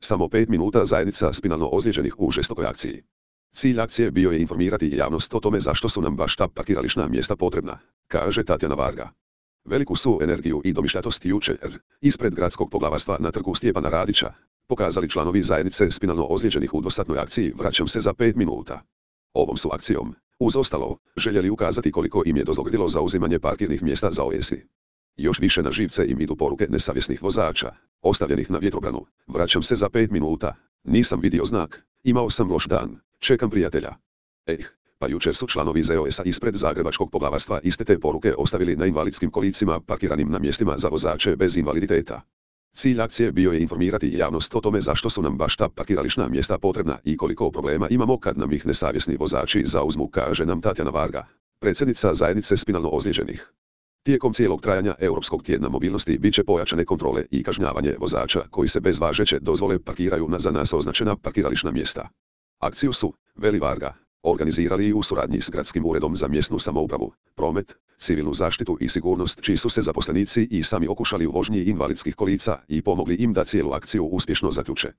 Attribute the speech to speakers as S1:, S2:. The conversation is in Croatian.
S1: Samo 5 minuta zajednica spinalno ozlijeđenih u žestokoj akciji. Cilj akcije bio je informirati javnost o tome zašto su nam baš ta parkirališna mjesta potrebna, kaže Tatjana Varga. Veliku su energiju i domišljatost jučer, ispred gradskog poglavarstva na trgu Stjepana Radića, pokazali članovi zajednice spinalno ozlijeđenih u dvosatnoj akciji Vraćam se za 5 minuta. Ovom su akcijom, uz ostalo, željeli ukazati koliko im je dozgodilo zauzimanje parkirnih mjesta za OESI. Još više na živce im idu poruke nesavjesnih vozača, ostavljenih na vjetrobranu. Vraćam se za 5 minuta, nisam vidio znak, imao sam loš dan, čekam prijatelja. Pa jučer su članovi ZOS-a ispred zagrebačkog poglavarstva iste te poruke ostavili na invalidskim kolicima parkiranim na mjestima za vozače bez invaliditeta. Cilj akcije bio je informirati javnost o tome zašto su nam baš ta parkirališna mjesta potrebna i koliko problema imamo kad nam ih nesavjesni vozači zauzmu, kaže nam Tatjana Varga, predsjednica zajednice spinalno ozlijeđenih. Tijekom cijelog trajanja Europskog tjedna mobilnosti bit će pojačane kontrole i kažnjavanje vozača koji se bez važeće dozvole parkiraju na za nas označena parkirališna mjesta. Akciju su, veli Varga, organizirali i u suradnji s Gradskim uredom za mjesnu samoupravu, promet, civilnu zaštitu i sigurnost, čiji su se zaposlenici i sami okušali u vožnji invalidskih kolica i pomogli im da cijelu akciju uspješno zaključe.